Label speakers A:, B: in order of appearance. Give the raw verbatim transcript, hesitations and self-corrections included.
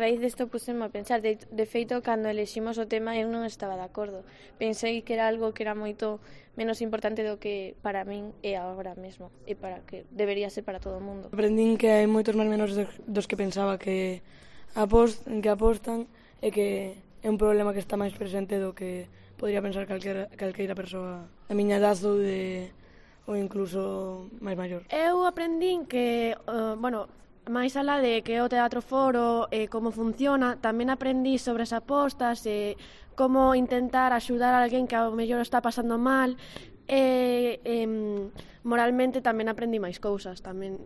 A: A raíz desto puseme a pensar, de, de feito, cando eleximos o tema eu non estaba de acordo. Pensei que era algo que era moito menos importante do que para min é agora mesmo e para que debería ser para todo o mundo.
B: Aprendín que hai moitos máis menores dos que pensaba que, apost, que apostan e que é un problema que está máis presente do que podría pensar calquera, calqueira persoa da miña edad ou, de, ou incluso máis maior.
C: Eu aprendín que, uh, bueno, máis alá de que o Teatro Foro e eh, como funciona, tamén aprendí sobre as apostas e eh, como intentar axudar a alguén que ao mellor está pasando mal e eh, moralmente tamén aprendí máis cousas, tamén